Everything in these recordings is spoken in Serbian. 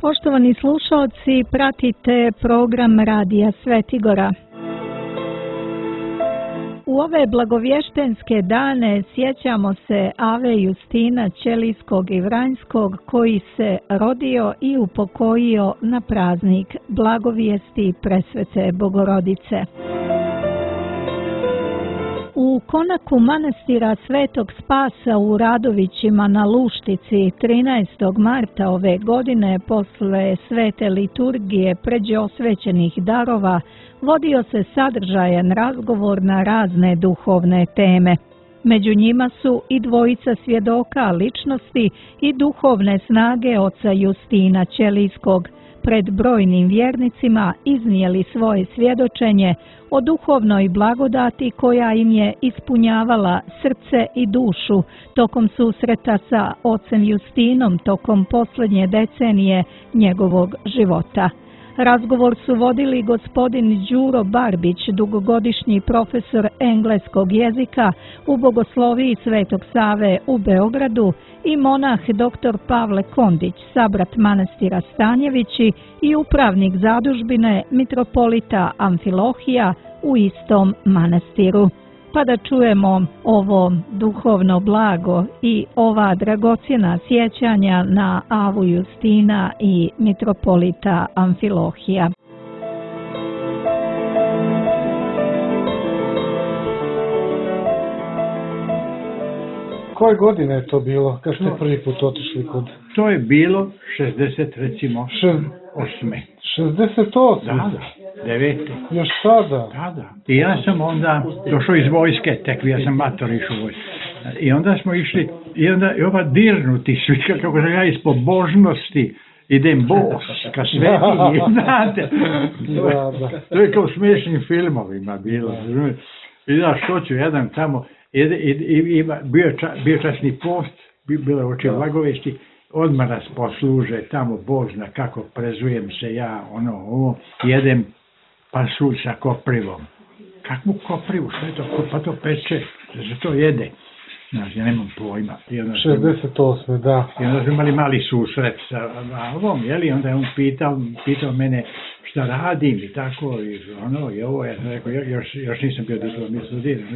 Poštovani slušalci, pratite program Radija Svetigora. U ove blagovještenske dane sjećamo se Ave Justina Ćelijskog i Vranjskog koji se rodio i upokojio na praznik Blagovijesti Presvete Bogorodice. U konaku manastira Svetog Spasa u Radovićima na Luštici 13. marta ove godine posle svete liturgije pređe osvećenih darova vodio se sadržajan razgovor na razne duhovne teme. Među njima su i dvojica svjedoka ličnosti i duhovne snage oca Justina Ćelijskog. Pred brojnim vjernicima iznijeli svoje svjedočenje o duhovnoj blagodati koja im je ispunjavala srce i dušu tokom susreta sa ocem Justinom tokom posljednje decenije njegovog života. Razgovor su vodili gospodin Đuro Barbić, dugogodišnji profesor engleskog jezika u Bogosloviji Svetog Save u Beogradu i monah dr. Pavle Kondić, sabrat manastira Stanjevići i upravnik zadužbine mitropolita Amfilohija u istom manastiru. Pa da čujemo ovo duhovno blago i ova dragocjena sjećanja na Avu Justina i mitropolita Amfilohija. Koje godine je to bilo, kad ste prvi put otišli kod... To je bilo 68. 68? Da, 9. Još sada? Da. I ja sam onda došao iz vojske, tek ja sam mator išao u vojsku. I onda smo išli, i ova dirnuti svi, kako ja iz pobožnosti idem bos, ka svetinji, znate. To je kao u smiješnim filmovima bilo. I da, što ću, jedan tamo, bio časni post, bilo oči Blagovijesti, odmah nas posluže, tamo Bog zna kako prezujem se ja, ovo, jedem pasulj sa koprivom. Kakvu koprivu, što je to? Pa to peče, da se to jede. Znači, ja nemam pojma. 68. da. I onda smo imali mali susret sa ovom, jeli, onda je on pitao mene šta radim i tako, i ovo, ja sam rekao, još nisam bio diplomist studiran.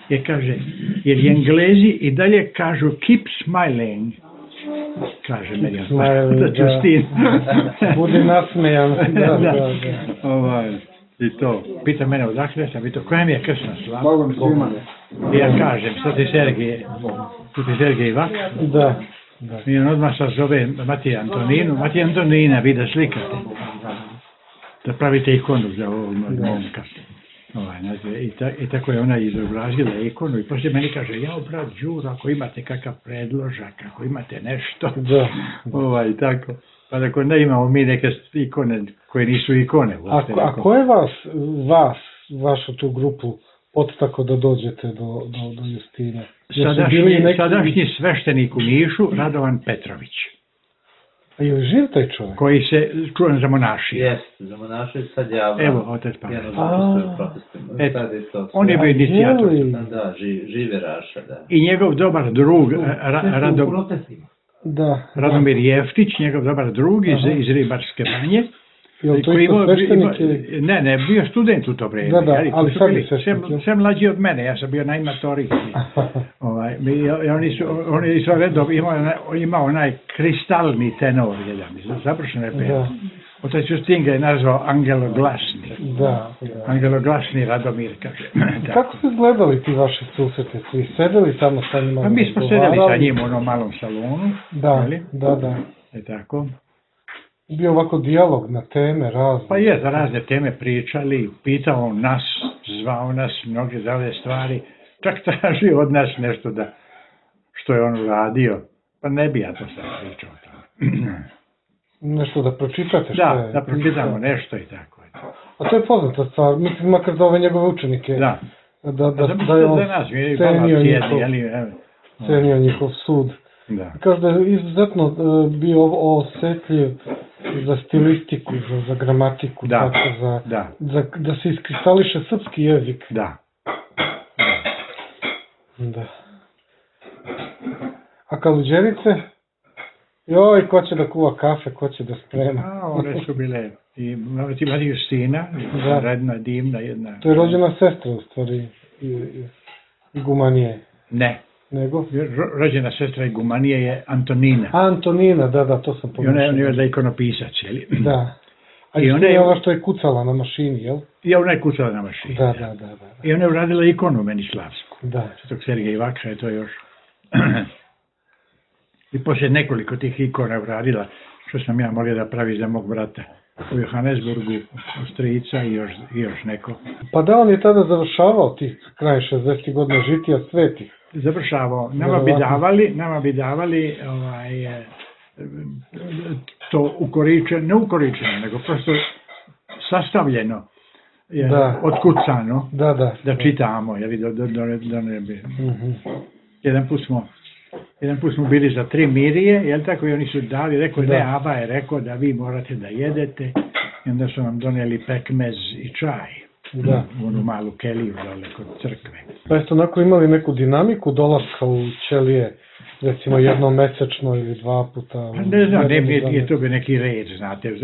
I kaže, jer Englezi i dalje kažu keep smiling, kaže meni da Justin. Budi nasmejan. I to, pita mene odakle sam, i to, koja mi je krsna slava? I ja kažem, sad ti Sergej Vak? Da. I on odmah se zove Matija Antonina, vi da slikate. Da pravite ikonu za ovog momka. I tako je ona izobrazila ikonu i poslije meni kaže, jao brat Đuro, ako imate kakav predložak, ako imate nešto, i tako. Pa tako ne imamo mi neke ikone koje nisu ikone. A ko je vašu tu grupu podstakao da dođete do Justina? Sadašnji sveštenik u Nišu, Radovan Petrović. A je li živ taj čovjek? Koji se čuvan za monašije. Jeste, za monašije sad javno. Evo, otec Pavel. On je bio inicijator. Da, žive Raša, da. I njegov dobar drug, Radomir Jeftić, njegov dobar drug iz Ribarske banje. Je to isto sveštenik? Ne, bio student u to vrijeme. Da, ali sad je sveštenik. Sve mlađi od mene, ja sam bio najmatorijski. Oni su redom, imao onaj kristalni tenor, završeno je peo. Otac Justin ga je nazvao Angeloglasni. Angeloglasni Radomir, kaže. Kako su izgledali ti vaši susreti? Su i sedeli tamo sa njima? Pa mi smo sedeli sa njim u onom malom salonu. Da. I tako. Bio ovako dijalog na teme razne. Pa je, za razne teme pričali, pitao nas, zvao nas, mnoge zave stvari, čak traži od nas nešto što je on uradio, pa ne bi ja to sad pričao. Nešto da pročitate? Da pročitamo nešto i tako. A to je poznata stvar, mislim makar za ove njegove učenike. Da. Da je on cenio njihov sud. Kaže da je izuzetno bio osjetljiv za stilistiku, za gramatiku, da se iskristališe srpski jezik. Da. A Kaluđerice? Joj, ko će da kuva kafe, ko će da sprema. A, one su bile, i imati Justina, redna, divna jedna. To je rođena sestra, u stvari, Igumanije. Ne. Nego? Rođena sestra Igumanije je Antonina. Antonina, da, to sam pomišljao. I ona je da ikonopisac, jeli? Da. A i ona je ova što je kucala na mašini, jel? I ona je kucala na mašini. Da. I ona je uradila ikonu Menislavsku. Da. Svetog Sergeja Vakha je to još. I poslije nekoliko tih ikona uradila, što sam ja molio da pravi za mog brata u Johannesburgu, strica i još neko. Pa da, on je tada završavao tih kraj 60. godina žitija svetih. Završavao. Nama bi davali to ukoričeno, ne ukoričeno, nego prosto sastavljeno, otkucano, da čitamo. Jedan put smo bili za 3 mirije, jel tako, i oni su dali, rekao, ne, Aba je rekao da vi morate da jedete, i onda su nam donijeli pekmez i čaj, u onu malu keliju dole kod crkve. Pa jeste onako imali neku dinamiku dolaska u ćelije, recimo jednomesečno ili 2 puta? Ne znam, nije to bi neki red, znate,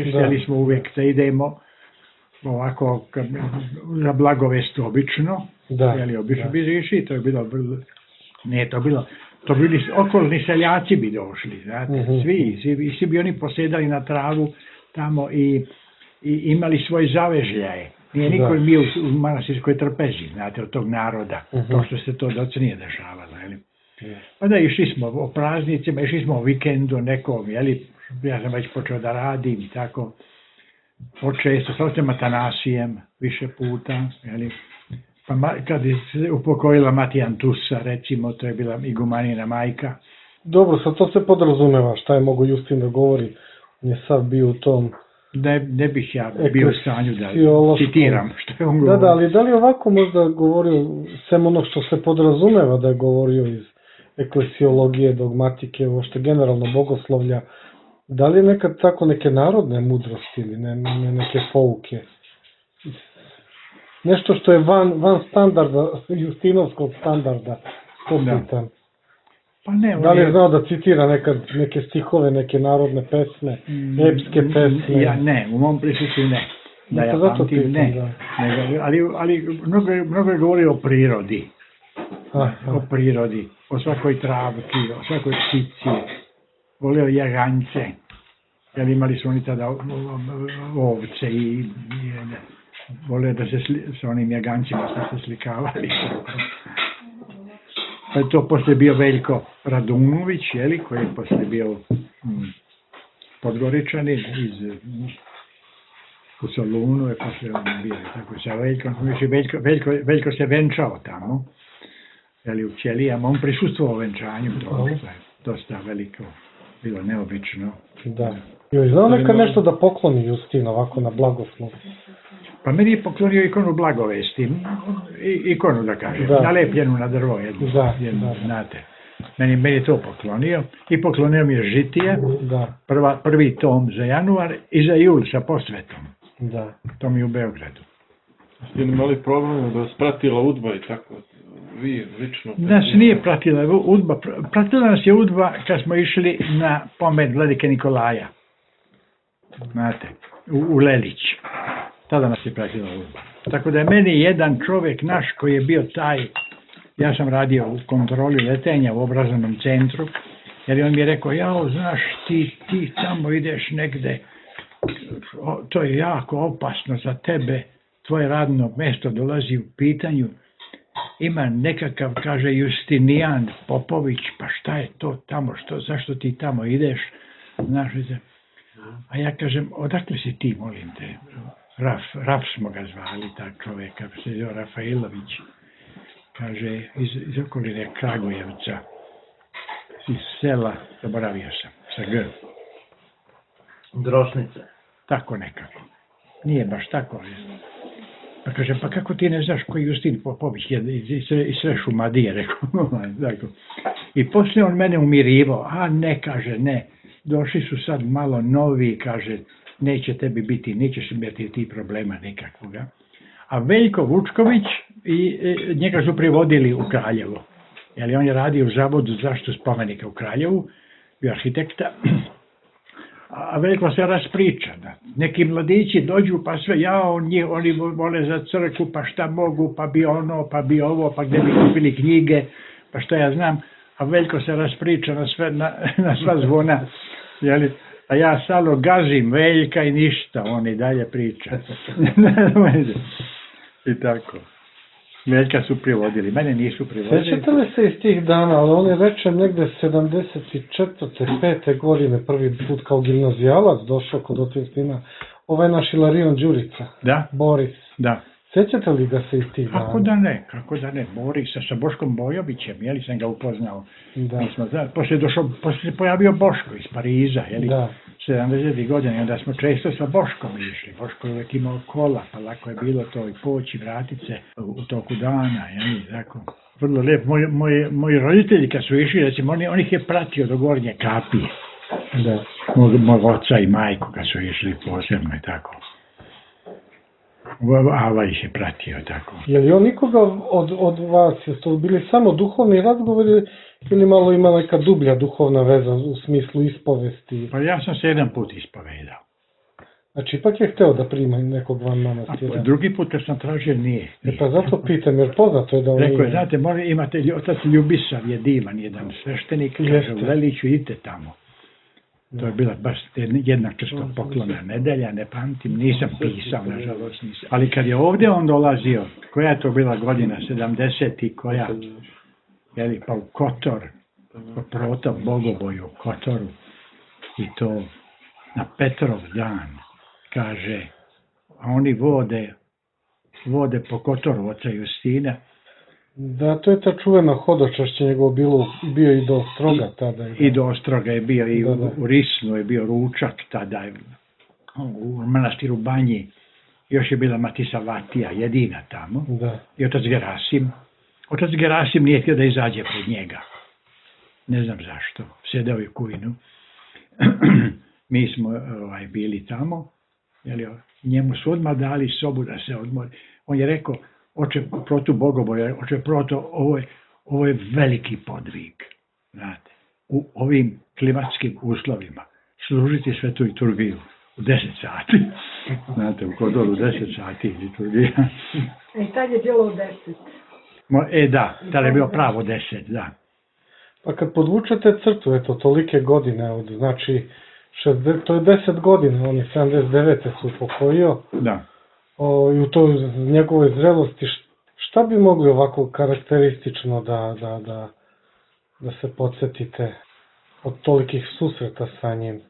htjeli smo uvijek da idemo ovako za blagovest obično, jeli obično bi išli, to je bilo vrlo. Ne, to bili okolni seljaci bi došli, znate, svi bi oni posedali na travu tamo i imali svoje zavežljaje. Nije niko bio u manastirskoj trpezi, znate, od tog naroda, to što se to doce nije dešavalo, jeli. Onda išli smo o praznicima, išli smo o vikendu nekom, jeli, ja sam već počeo da radim, tako, počesto, sa osim Atanasijem, više puta, jeli. Pa kad je upokojila Matijan Tusa, recimo, to je bila Igumanina majka. Dobro, sad to se podrazumeva, šta je mogo Justin da govori, on je sad bio u tom... Ne bih ja bio u stanju da citiram što je on govorio. Da, ali da li ovako možda govorio, sem ono što se podrazumeva da je govorio iz eklesiologije, dogmatike, uopšte generalno bogoslovlja, da li je nekad tako neke narodne mudrosti ili neke pouke? Nešto što je van standarda, Justinovskog standarda, to pitam. Pa ne, da li je znao da citira neke stihove, neke narodne pesme, epske pesme? Ja ne, u mom prisutstvu ne. Da ja pamtim, ne. Ali mnogo je govorio o prirodi. O prirodi, o svakoj travki, o svakoj ptici. Volio jaganjce. Jer imali su oni tada ovce i volio da se sa onim jagancima se slikavali. Pa je to poslije bio Veljko Radunović, jeli, koji je poslije bio Podgoričanin u Solunu, je poslije on bio tako sa Veljkom. Veljko se venčao tamo, jeli, u Ćelijama, on prisustvovao venčanju, to je dosta veliko, bilo neobično. Da. Joj, znao neka nešto da pokloni Justin ovako na blagoslov? Pa meni je poklonio ikonu blagovesti, ikonu da kažem, nalepljenu na drvo jednu, znate. Meni je to poklonio i poklonio mi je žitije, prvi tom za januar i za jul sa posvetom. To mi je u Beogradu. Ste li imali problem da vas pratila udba i tako? Vi lično? Nas nije pratila udba, pratila nas je udba kad smo išli na pomen vladike Nikolaja, znate, u Lelić. Tada nas je pratila udba. Tako da je meni jedan čovjek naš koji je bio taj, ja sam radio u kontroli letenja u obrazovnom centru, jer on mi je rekao, jao, znaš, ti tamo ideš negde, to je jako opasno za tebe, tvoje radno mjesto dolazi u pitanju, ima nekakav, kaže, Justinijan Popović, pa šta je to tamo, zašto ti tamo ideš, znaš, a ja kažem, odakle si ti, molim te? Raf smo ga zvali, tak čovjeka, se zove Rafailović, kaže, iz okoline Kragujevca, iz sela, zaboravio sam, sa G. Drošnice. Tako nekako, nije baš tako. Pa kaže, pa kako ti ne znaš koji Justin Popović je iz sve Šumadije, rekao. I poslije on mene umirivao, a ne, kaže, ne, došli su sad malo novi, kaže, neće tebi biti, nećeš imati ti problema nikakvoga. A Veljko Vučković, njega su privodili u Kraljevo. Jer on je radio u Zavodu za zaštitu spomenika u Kraljevu bio arhitekta, a Veljko se raspriča. Neki mladići dođu pa sve, oni vole za crkvu, pa šta mogu, pa bi ono, pa bi ovo, pa gdje bi kupili knjige, pa šta ja znam, a Veljko se raspriča na sva zvona, jeli? A ja stalno gazim Veljka i ništa, on i dalje priča. I tako. Veljka su privodili, mene nisu privodili. Sjećate li se iz tih dana, ali on je večer negde 74. 5. godine prvi put kao gimnazijalac došao kod Otvinskina, ovaj naš Ilarion Đurica, da? Boris. Da. Sjećate li ga se iz tih dana? Kako da ne, Borisa sa Boškom Bojovićem, jeli sam ga upoznao. Da. Poslije se pojavio Boško iz Pariza, jeli, 70. godine, i onda smo često sa Boškom išli. Boško je uvijek imao kola, pa lako je bilo to i poći, vratit se u toku dana, jeli, tako. Vrlo lijepo. Moji roditelji kad su išli, recimo, on ih je pratio do Gornje Kapije. Da. Mog oca i majku kad su išli posebno i tako. Ava ih je pratio, tako. Je li on nikoga od vas, jeste to bili samo duhovni razgovori ili malo ima neka dublja duhovna veza u smislu ispovesti? Pa ja sam se jedan put ispovedao. Znači, ipak je hteo da prima nekog van manastira. A drugi put kad sam tražio nije. Pa zato pitam, jer poznato je da on nije. Rekao je, znate, imate otac Ljubisav je divan, jedan sveštenik, kaže, u Veliću, idite tamo. To je bila baš jedna krstopoklona nedelja, ne pamtim, nisam pisao, nažalost nisam. Ali kad je ovdje on dolazio, koja je to bila godina, 70. i koja, jeli, pa u Kotor, protop Bogoboju u Kotoru, i to na Petrov dan, kaže, a oni vode po Kotoru oca Justina. Da, to je ta čuvena hodočašće njegovo bio i do Ostroga tada. I do Ostroga je bio, i u Risnu je bio ručak tada, u manastiru Banji. Još je bila Matisa Vatija, jedina tamo. Da. I otac Gerasim. Otac Gerasim nije htio da izađe pred njega. Ne znam zašto. Sedeo je u kujnu. Mi smo bili tamo. Njemu su odmah dali sobu da se odmori. On je rekao, oče protu Bogoboja, oče proto, ovo je veliki podvig, znate, u ovim klimatskim uslovima, služiti svetu liturgiju u 10 sati, znate, u Kotoru 10 sati liturgija. I tad je bilo u 10. Da, tad je bilo pravo 10, da. Pa kad podvučete crtu, eto, tolike godine, znači, to je 10 godina, on je 79. se upokojio. Da. I u toj njegovoj zrelosti, šta bi mogli ovako karakteristično da se podsjetite od tolikih susreta sa njim?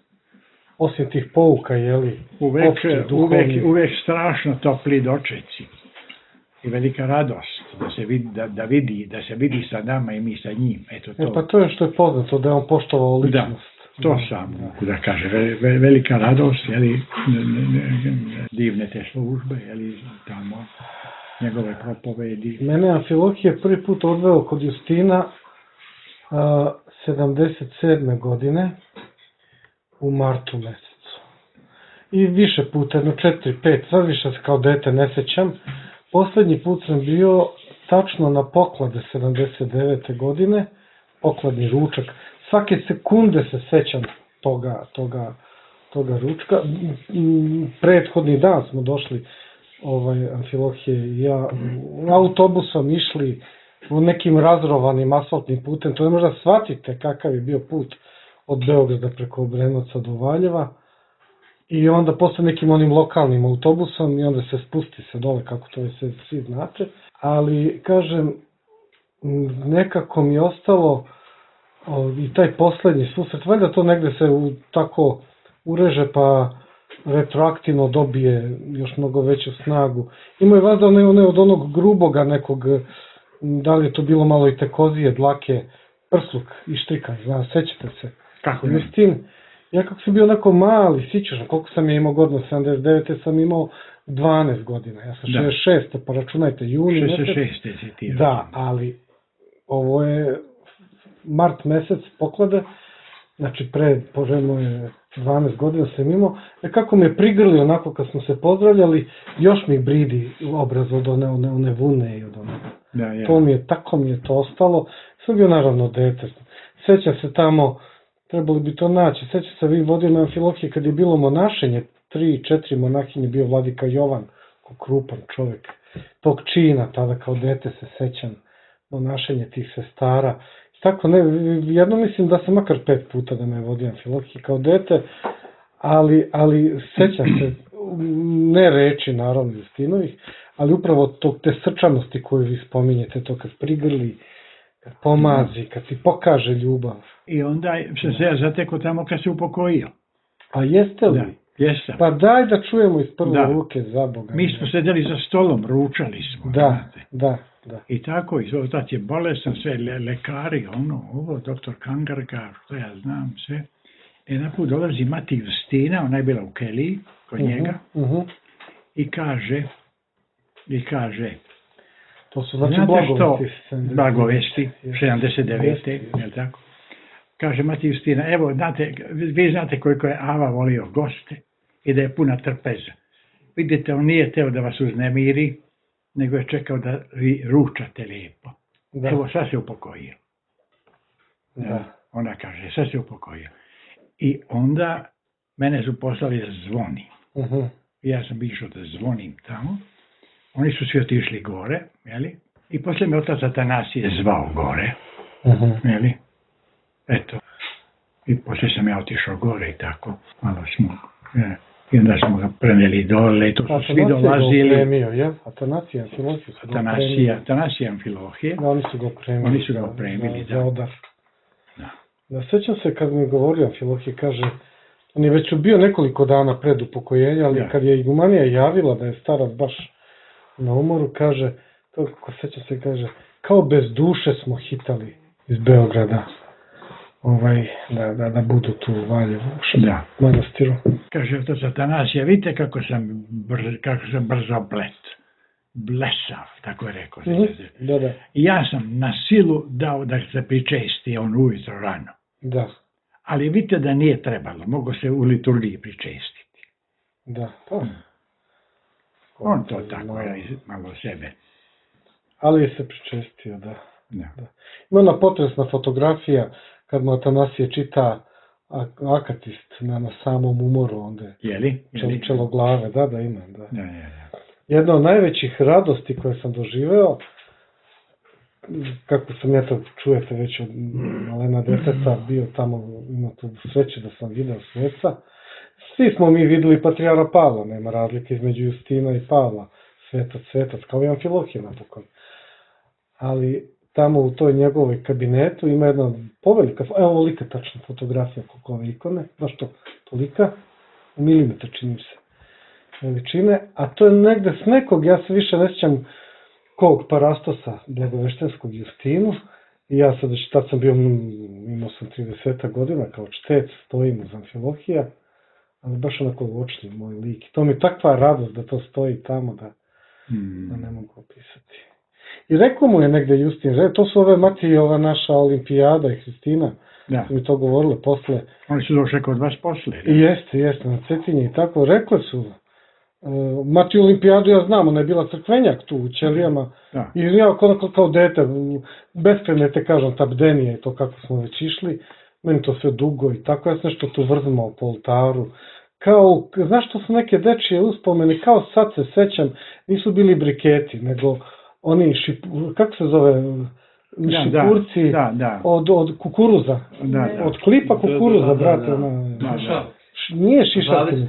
Osim tih pouka, jeli? Uvijek strašno topli dočeci i velika radost da se vidi sa nama i mi sa njim. Eto to. Pa to je što je poznato, da je on poštovao ličnost. To sam mogu da kaže, velika radost, jeli, divne te službe, jeli, tamo, njegove propovedi. Mene Amfilohije prvi put odveo kod Justina 77. godine u martu mesecu. I više puta, 4-5, sad više se kao dete ne sećam. Poslednji put sam bio tačno na poklade 79. godine, pokladni ručak. Svake sekunde se sećam toga ručka. Prethodni dan smo došli, Amfilohije i ja, autobusom išli u nekim razrovanim asfaltnim putem. To ne možda shvatite kakav je bio put od Beograda preko Obrenovca do Valjeva. I onda posle nekim onim lokalnim autobusom i onda se spusti se dole, kako to je svi znate. Ali, kažem, nekako mi je ostalo i taj poslednji susret, valjda to negde se tako ureže pa retroaktivno dobije još mnogo veću snagu. Ima je valjda one od onog gruboga nekog, da li je to bilo malo i tekozije, dlake, prsluk i štrika, sećate se? Kako je? Justin, ja kako sam bio onako mali, sićašan, koliko sam je imao godina, 79. sam imao 12 godina, ja sam 66. pa računajte, juni mesec. 66. si ti. Da, ali ovo je mart mesec poklade, znači poželjno je 12 godina sam imao, kako me prigrli onako kad smo se pozdravljali, još mi bridi obraz od one vune i od one. Tako mi je to ostalo, sam bio naravno dete. Sećam se tamo trebali bi to naći. Sveća se vi vodio na Amfilohije kad je bilo monašenje, 3-4 monahinje, bio vladika Jovan, ko krupan čovjek, tog čina, tada kao dete se sećam, monašenje tih sestara. Tako ne, jedno mislim da sam makar 5 puta da me je vodio Amfilohije kao dete, ali sećam se, ne reči naravno Justinovih, ali upravo te srčanosti koju vi spominjete, to kad prigrli, kad pomazi, kad ti pokaže ljubav. I onda se ja zateko tamo kad se upokojio. A jeste li? Da, jesam. Pa daj da čujemo iz prve ruke, za Boga. Mi smo sedeli za stolom, ručali smo. Da. I tako, otac je bolestan, sve lekari, ovo, doktor Kangarga, što ja znam, sve. Jedan put dolazi mati Justina, ona je bila u Keliji, kod njega, i kaže, to su znači blagovesti, 79. je tako? Kaže mati Justina, evo, vi znate koliko je Ava volio goste i da je puna trpeza. Vidite, on nije teo da vas uznemiri, nego je čekao da vi ručate lijepo. Evo, sad se upokojio. Ona kaže, sad se upokojio. I onda mene su poslali da zvonim. Ja sam išao da zvonim tamo. Oni su svi otišli gore, jeli? I poslije me otac Atanasije zvao gore, jeli? Eto. I poslije sam ja otišao gore i tako. Malo smo, i onda smo ga preneli dole i tu su svi dolazili. Atanasija Amfilohije. Oni su ga opremili, da. Sjećam se kad mi je govorio Amfilohije, kaže, on je već bio nekoliko dana pred upokojenja, ali kad je igumanija javila da je starac baš na umoru, kaže, to kako sjećam se, kaže, kao bez duše smo hitali iz Beograda, da budu tu u Valjevu, u manastiru. Kaže otac Atanasija, vidite kako sam brzo blesav, tako je rekao. I ja sam na silu dao da se pričesti on ujutro rano. Da. Ali vidite da nije trebalo, mogo se u liturgiji pričestiti. Da, on to tako je malo sebe. Ali je se pričestio, da. Ima ona potresna fotografija kad mu Atanasije čita Akatist na samom umoru, onda je čeloglave, da ima. Jedna od najvećih radosti koje sam doživeo, kako sam ja to čujete već od malena deteta, bio tamo, ima tu sreće da sam vidio sveca. Svi smo mi videli Patrijara Pavla, nema razlike između Justina i Pavla, svetac, kao i Amfilohije napokon. Ali tamo u toj njegovoj kabinetu ima jedna povelika, evo ovolika tačna fotografija koliko ove ikone, baš to, tolika, u milimetar čini se veličine, a to je negde s nekog, ja se više ne sjećam kog parastosa blagoveštenskog Justinu, i ja sad, tad sam bio, imao sam 30 godina, kao čtec, stojim uz Amfilohija, ali baš onako očni moj lik. To mi je takva radost da to stoji tamo, da ne mogu opisati. I rekao mu je negde Justin, to su ove mati, ova naša olimpijada i Hristina, su mi to govorile posle. Oni su došli kod vas posle. Jeste, na Cetinje i tako, rekli su, mati olimpijadu ja znam, ona je bila crkvenjak tu u Ćelijama, i ja kao dete, beskrajne te kažem, ta bdenija i to kako smo već išli, meni to sve dugo i tako, ja sam nešto tu vrzmao po oltaru, kao, znaš što su neke dečije uspomene, kao sad se sećam, nisu bili briketi, nego oni, kako se zove, šipurci od kukuruza, od klipa kukuruza, brate, nije šišarkin,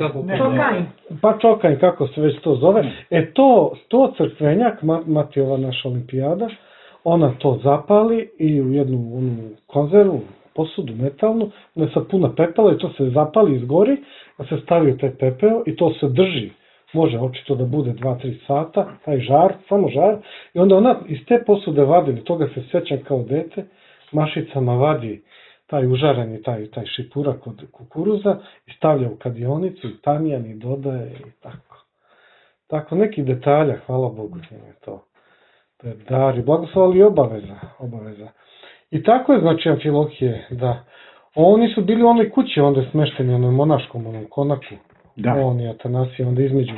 pa čokanj, kako se već to zove, to crkvenjak, mati ova naša olimpijada, ona to zapali i u jednu konzervu, posudu metalnu, ona je sad puna pepela i to se zapali, izgori, da se stavi u taj pepeo i to se drži. Može očito da bude 2-3 sata, taj žar, samo žar, i onda ona iz te posude vadi, toga se sećam kao dete, mašicama vadi taj užareni, taj šipurak od kukuruza i stavlja u kadionicu i tamjan i dodaje i tako. Tako, neki detalja, hvala Bogu, je to. To je dar i blagoslov, ali i obaveza. I tako je, znači, Amfilohije, da oni su bili u onoj kući, onda je smešteni, onoj monaškom, onom konaku. On i Atanasije, onda između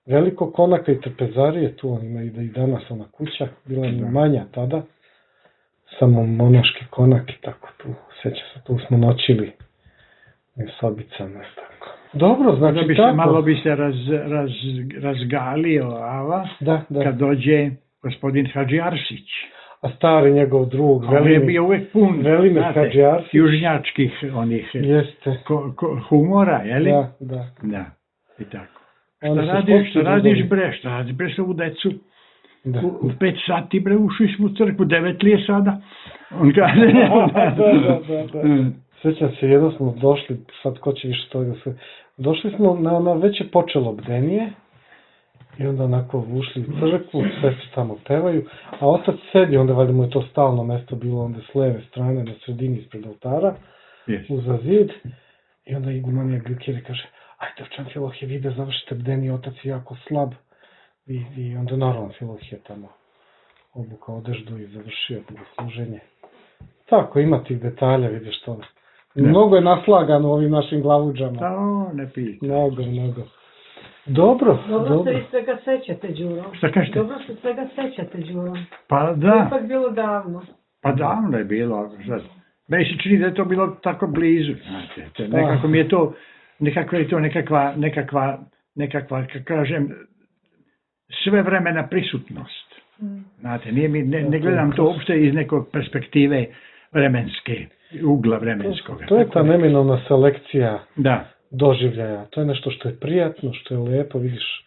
velikog konaka i trpezarije, tu on ima i danas ona kuća, bila je manja tada, samo monaški konak i tako tu, sjeća se, tu smo noćili u sobicama i tako. Dobro, znači tako. Malo bi se razgalio, Ava, kad dođe gospodin Hadži Arsić. A stari njegov drug, on je bio uvek pun, znate, južnjačkih onih humora, jeli? Da. I tako. Šta radiš bre, sa ovu decu? U 5 sati bre, ušli smo u crkvu, 9 li je sada? On kaže... Da. Sjećam se, jedno smo došli, sad ko će više toga sve... Došli smo, već je počelo bdenije, i onda onako ušli u crkvu, sve se tamo pevaju, a otac sedi, onda valjda mu je to stalno mesto bilo onda s leve strane, na sredini ispred oltara, uza zid, i onda igumanija Glikeri kaže, ajde, Ovčan Filohije, vi da završite bdenije, otac je jako slab, i onda naravno Filohije tamo obukao odeždu i završio bogosluženje. Tako, ima tih detalja, vidiš to. Mnogo je naslagano ovim našim glavuđama. Ne pijete. Mnogo. Dobro. Dobro se i svega sećate, Đuro. Šta kažete? Dobro se svega sećate, Đuro. Pa da. To je ipak bilo davno. Pa davno je bilo. Meni se čini da je to bilo tako blizu. Nekako mi je to, nekakva, kako kažem, svevremena prisutnost. Znate, ne gledam to uopšte iz nekog perspektive vremenske, ugla vremenskog. To je ta neminovna selekcija doživljaja. To je nešto što je prijatno, što je lepo, vidiš.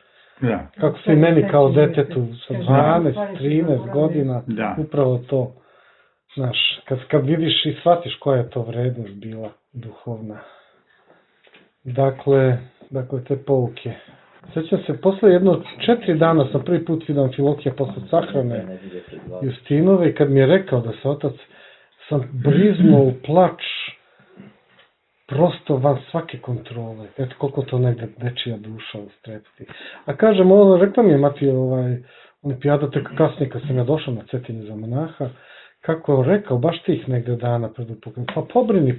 Kako se i meni kao detetu sa 12, 13 godina, upravo to. Znaš, kad vidiš i shvatiš koja je to vrednost bila duhovna. Dakle, te pouke. Sjećam se, posle 4 dana sam prvi put vidio Amfilohija posle sahrane Justinove i kad mi je rekao da se otac, sam briznuo u plač prosto van svake kontrole. Eto koliko to negde dečija duša ustrepiti. A kažem, rekla mi je mati olimpijada tek kasnije kad sam ja došao na Cetinje za monaha, kako je rekao, baš tih negde dana pred upokojom. Pa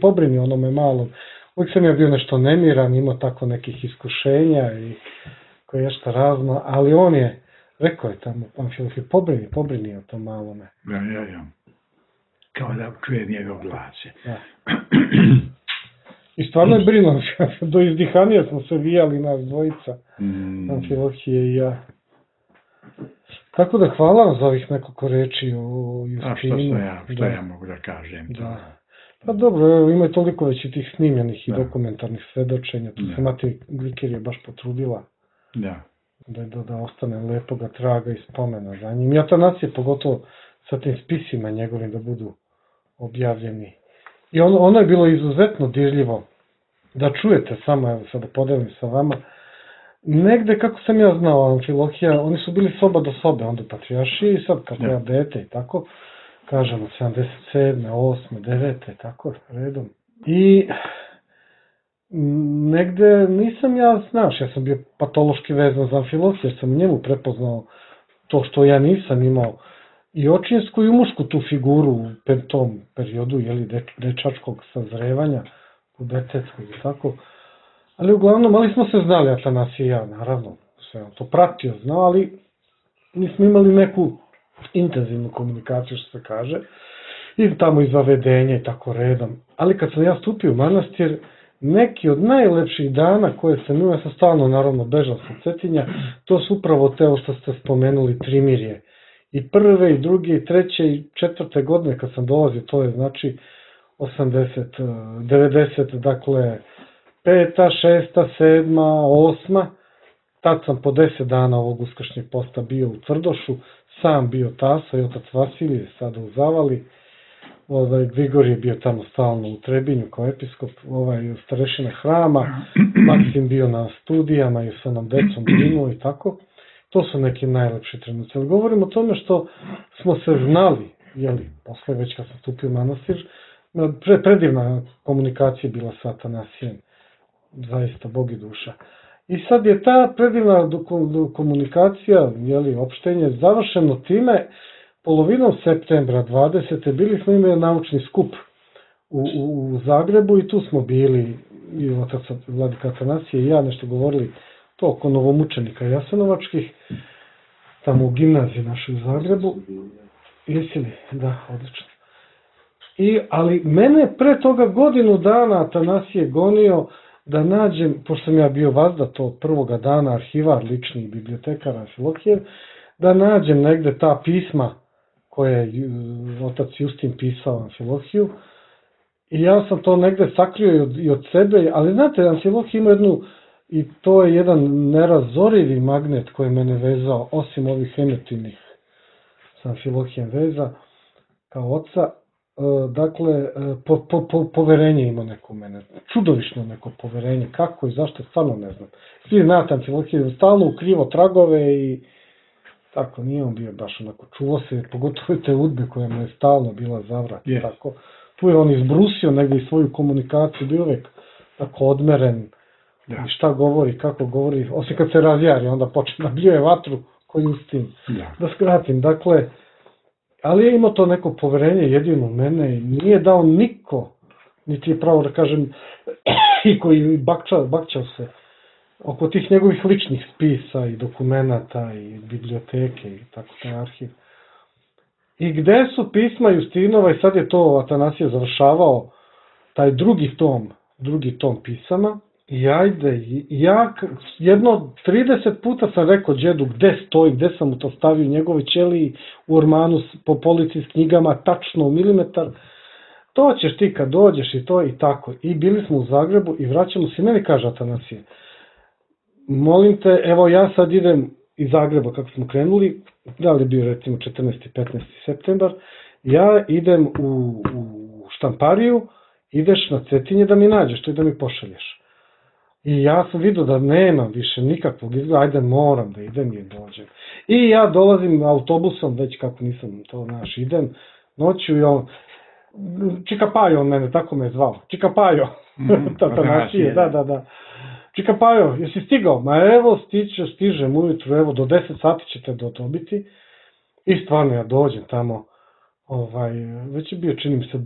pobrini onome malom. Uvijek sam ja bio nešto nemiran, imao tako nekih iskušenja i koje je što razno, ali on je, rekao je tamo, Amfilohije, pobrini o tom malome. Ja. Kao da čujem njegov glase. I stvarno je brinuo, do izdihanija smo se vijali nas dvojica, Amfilohije i ja. Tako da hvala vam za ovih nekoliko reči o Justinu. A što ja mogu da kažem? Pa dobro, ima je toliko već i tih snimljenih i dokumentarnih svedočenja, tu se Mati Gliker je baš potrudila da ostane lepoga traga i spomena za njim. I Atanasije, pogotovo sa tim spisima njegovim da budu objavljeni. I ono je bilo izuzetno dirljivo da čujete samo, evo sad da podelim sa vama, negde kako sam ja znao Amfilohija, oni su bili soba do sobe, onda u Patrijaršiji i sad kako ja dete i tako, kažemo 77. 8. 9. tako redom. I negde nisam ja, znaš, ja sam bio patološki vezan za Amfilohija, jer sam njemu prepoznao to što ja nisam imao i očinsku i mušku tu figuru u tom periodu, dečačkog sazrevanja, u detetskog i tako. Ali uglavnom, ali smo se znali, Atanasije i ja, naravno, sve on to pratio, znao, ali nismo imali neku intenzivnu komunikaciju, što se kaže, i tamo iz zavedenja i tako redom. Ali kad sam ja stupio u manastir, neki od najlepših dana koje sam imao, ja sam stalno, naravno, bežao sa Cetinja, to su upravo te što ste spomenuli, Trimirje. I prve, i druge, i treće, i četvrte godine kad sam dolazio, to je znači 90, dakle, 5., 6., 7., 8. Tad sam po 10 dana ovog uskršnjeg posta bio u Tvrdošu, sam bio tasa i otac Vasilije, sada u Zavali. Grigor je bio tamo stalno u Trebinju kao episkop, starešina hrama, Maksim bio na studijama i sa onom decom brinuo i tako. To su neki najlepši trenuci. Ali govorim o tome što smo se znali, posle već kad sam stupio u manastir, predivna komunikacija bila sa Atanasijem, zaista Bog i duša. I sad je ta predivna komunikacija, opštenje, završeno time, polovinom septembra 20. bili smo imali naučni skup u Zagrebu i tu smo bili, i otac Vladika Atanasije i ja nešto govorili to oko novomučenika jasenovačkih, tamo u gimnaziji našoj u Zagrebu. Jesi li? Da, odlično. Ali mene pre toga godinu dana Atanasije gonio da nađem, pošto sam ja bio vazda to prvoga dana, arhivar lični bibliotekar Amfilohijev, da nađem negde ta pisma koje je otac Justin pisao Amfilohiju. I ja sam to negde sakrio i od sebe, ali znate, Amfilohij ima jednu, i to je jedan nerazorivi magnet koji mene vezao, osim ovih emotivnih sa Amfilohijem veza, kao oca. Dakle, poverenje ima neko u mene, čudovišno neko poverenje, kako i zašto, stvarno ne znam. Svi znate, Amfilohije je stalno u krivo tragove i tako, nije on bio baš onako, čuvo se, pogotovo te udbe koja mu je stalno bila zavrat, tako. Tu je on izbrusio negdje i svoju komunikaciju, bio uvijek tako odmeren, i šta govori, kako govori, osim kad se razjari, onda počne nabljuje vatru koju Justin. Da skratim, dakle, ali je imao to neko poverenje jedino u mene i nije dao niko, niti je pravo da kažem, i koji bakćao se oko tih njegovih ličnih spisa i dokumenata i biblioteke i tako taj arhiv. I gde su pisma Justinova, i sad je to Atanasije završavao, taj drugi tom pisama, i ajde, ja jedno 30 puta sam rekao džedu gde stoji, gde sam mu to stavio, njegove ćeliji u ormanu po polici s knjigama, tačno u milimetar, to ćeš ti kad dođeš i to i tako. I bili smo u Zagrebu i vraćamo se, meni kaže Atanasije, molim te, evo ja sad idem iz Zagreba kako smo krenuli, da li je bio recimo 14. 15. septembar, ja idem u štampariju, ideš na Cetinje da mi nađeš to i da mi pošalješ. I ja sam vidio da nemam više nikakvog izgleda, ajde moram da idem i dođem. I ja dolazim autobusom, već kako nisam to idem, noću i on, Čikapajo on mene, tako me je zvao, Čikapajo, Atanasije, da. Čikapajo, jesi stigao? Ma evo, stižem ujutru, evo, do 10 sati ćete dobiti. I stvarno ja dođem tamo, već je bio, čini mi se,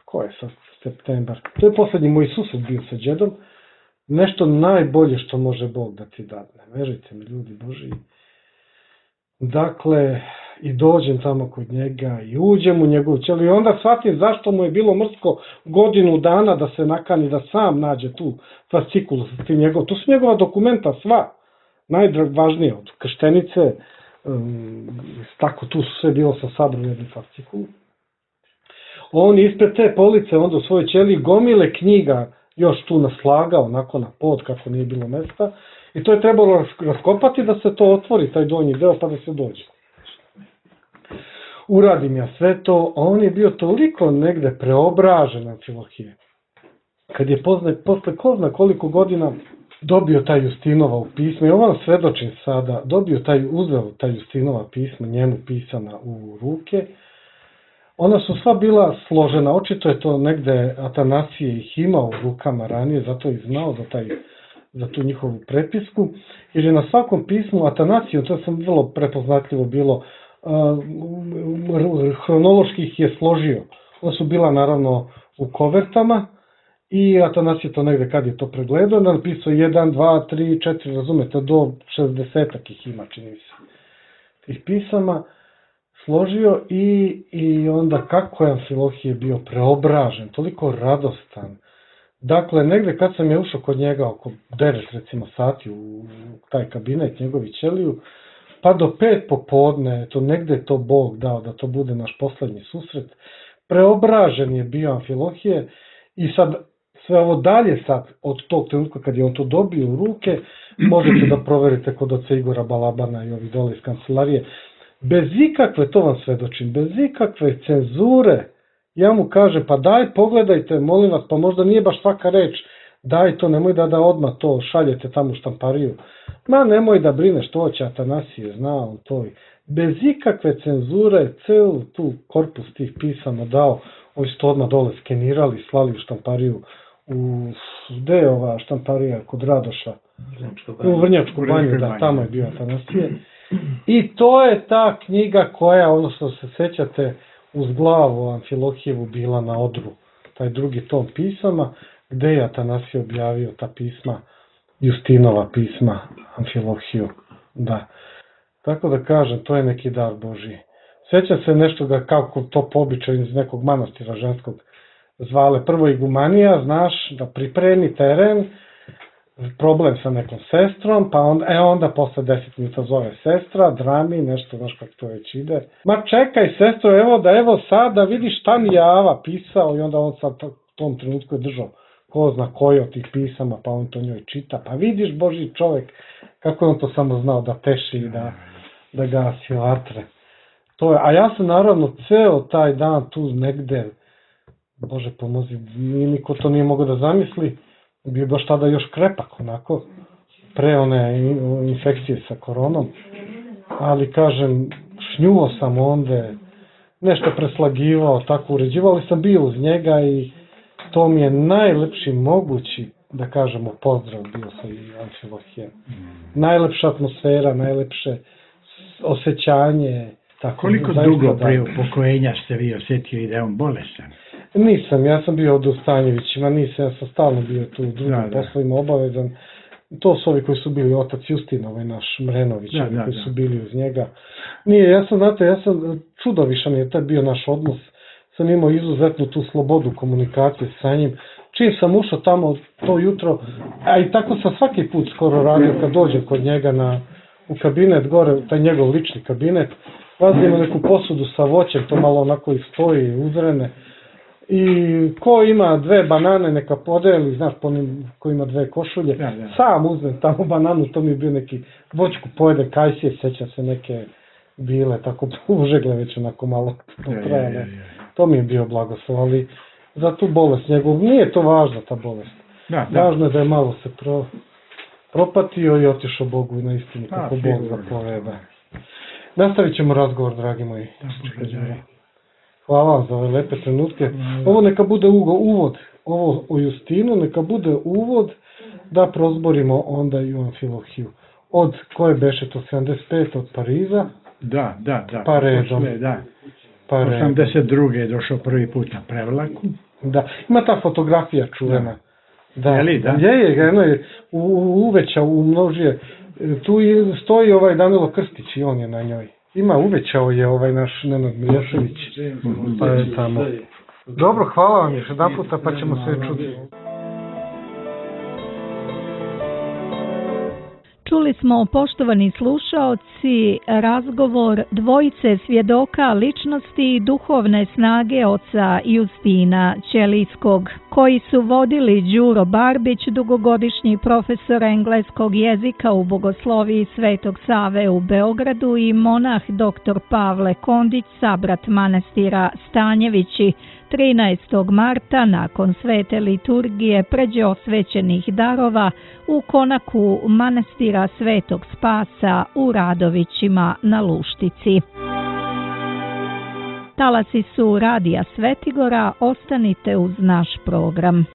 ko je sad, septembar. To je poslednji moj sused bio sa džedom. Nešto najbolje što može Bog da ti dadne. Verujte mi, ljudi Boži. Dakle, i dođem tamo kod njega i uđem u njegovu ćeliju i onda shvatim zašto mu je bilo mrsko godinu dana da se nakani da sam nađe tu fascikulu. Tu su njegova dokumenta sva, najvažnije od krštenice, tako tu su sve bilo sa sabrom jednu fascikulu. On ispred te police onda u svojoj ćeliji gomile knjiga još tu naslagao, onako na pod kako nije bilo mesta i to je trebalo raskopati da se to otvori, taj donji deo, pa da se dođe. Uradim ja sve to, a on je bio toliko negde preobražen Amfilohije. Kad je posle ko zna koliko godina dobio taj Justinova u pisma, i ovo vam svedočim sada, uzeo taj Justinova pisma, njemu pisana u ruke, ona su sva bila složena, očito je to negde Atanasije ih imao u rukama ranije, zato je znao za tu njihovu prepisku, jer je na svakom pismu Atanasije, to sam vrlo prepoznatljivo bilo, hronološki ih je složio. Ona su bila naravno u kovertama i Atanasije to negde kad je to pregledao, napisao 1, 2, 3, 4, razumete, do 60-ak ih ima, čini mi se, tih pisama. Složio i onda kako je Amfilohije bio preobražen, toliko radostan. Dakle, negde kad sam je ušao kod njega oko 9 recimo sati u taj kabinet njegovi ćeliju, pa do 5 popodne, to negde je to Bog dao da to bude naš poslednji susret, preobražen je bio Amfilohije i sad sve ovo dalje sad od tog trenutka kad je on to dobio u ruke, možete da proverite kod oca Igora Balabana i ovi dole iz kancelarije, bez ikakve, to vam svedočim, bez ikakve cenzure, ja mu kažem, pa daj pogledajte, molim vas, pa možda nije baš svaka reč, daj to, nemoj da odmah to šaljete tamo u štampariju, ma nemoj da brineš, to će Atanasije, zna on to. Bez ikakve cenzure, celu tu korpus tih pisama dao, ovi su to odmah dole skenirali, slali u štampariju, gde je ova štamparija kod Radoša? U Vrnjačku banju, da, tamo je bio Atanasije. I to je ta knjiga koja, ono što se sećate, uz glavu Amfilohijevu bila na odru, taj drugi tom pisama, gde je Atanasije objavio ta pisma, Justinova pisma Amfilohiju, da. Tako da kažem, to je neki dar Božiji. Sjećam se nešto ga kako to po običaju iz nekog manastira ženskog zvale prvo igumanija, znaš, da pripremi teren, problem sa nekom sestrom, pa onda posle 10 minuta zove sestra, drami, nešto, znaš kako to već ide. Ma čekaj sestro, evo sad da vidiš šta mi je Ava pisao, i onda on sad u tom trenutku je držao ko zna koji od tih pisama, pa on to njoj čita, pa vidiš Boži čovjek, kako je on to samo znao da peši i da gasi vatre. A ja sam naravno ceo taj dan tu negde, Bože pomozi, niko to nije mogao da zamisli, bio baš tada još krepak onako, pre one infekcije sa koronom, ali kažem, šnjuo sam onda, nešto preslagivao, tako uređivao, ali sam bio uz njega i to mi je najlepši mogući, da kažemo, pozdrav bio sa Amfilohijem. Najlepša atmosfera, najlepše osjećanje. Koliko dugo prije upokojenja ste vi osjetio i da je on bolestan? Nisam, ja sam bio od Ustanjevićima, nisam, ja sam stalno bio tu u drugim poslovima obavezan. To su ovi koji su bili otac Justin, ovaj naš Mrenović, koji su bili uz njega. Nije, ja sam čudovišan je tad bio naš odnos, sam imao izuzetnu tu slobodu komunikacije sa njim. Čim sam ušao tamo to jutro, a i tako sam svaki put skoro radio kad dođem kod njega u kabinet gore, taj njegov lični kabinet, vazimo neku posudu sa voćem, to malo onako i stoji uzrene. I ko ima 2 banane neka podeli, znaš, ko ima 2 košulje, sam uzmem tamo bananu, to mi je bio neki voćku pojede, kajsije, sećam se neke bile, tako užegle već onako malo trajale. To mi je bio blagoslov, ali za tu bolest njegov, nije to važna ta bolest. Važno je da je malo se propatio i otišao Bogu na istinu kako Bog zapoveda. Nastavit ćemo razgovor, dragi moji. Hvala vam za ove lepe trenutke. Ovo neka bude uvod, ovo o Justinu, neka bude uvod da prozborimo onda i o Amfilohiju. Od koje beše to 75 od Pariza? Da. Pa redom. 82. je došao prvi put na prevlaku. Da, ima ta fotografija čuvena. Da. Je, uvećao, umnožio. Tu stoji ovaj Danilo Krstić i on je na njoj. Uvećao je ovaj naš Nenad Miješević. Pa je tamo. Dobro, hvala vam još jedan puta, pa ćemo se čuti. Čuli smo, poštovani slušaoci, razgovor dvojice svjedoka ličnosti i duhovne snage oca Justina Ćelijskog, koji su vodili Đuro Barbić, dugogodišnji profesor engleskog jezika u Bogosloviji Svetog Save u Beogradu, i monah dr. Pavle Kondić, sabrat manastira Stanjevići, 13. marta nakon svete liturgije pređe osvećenih darova u konaku manastira Svetog Spasa u Radovićima na Luštici. Talasi su Radija Svetigora, ostanite uz naš program.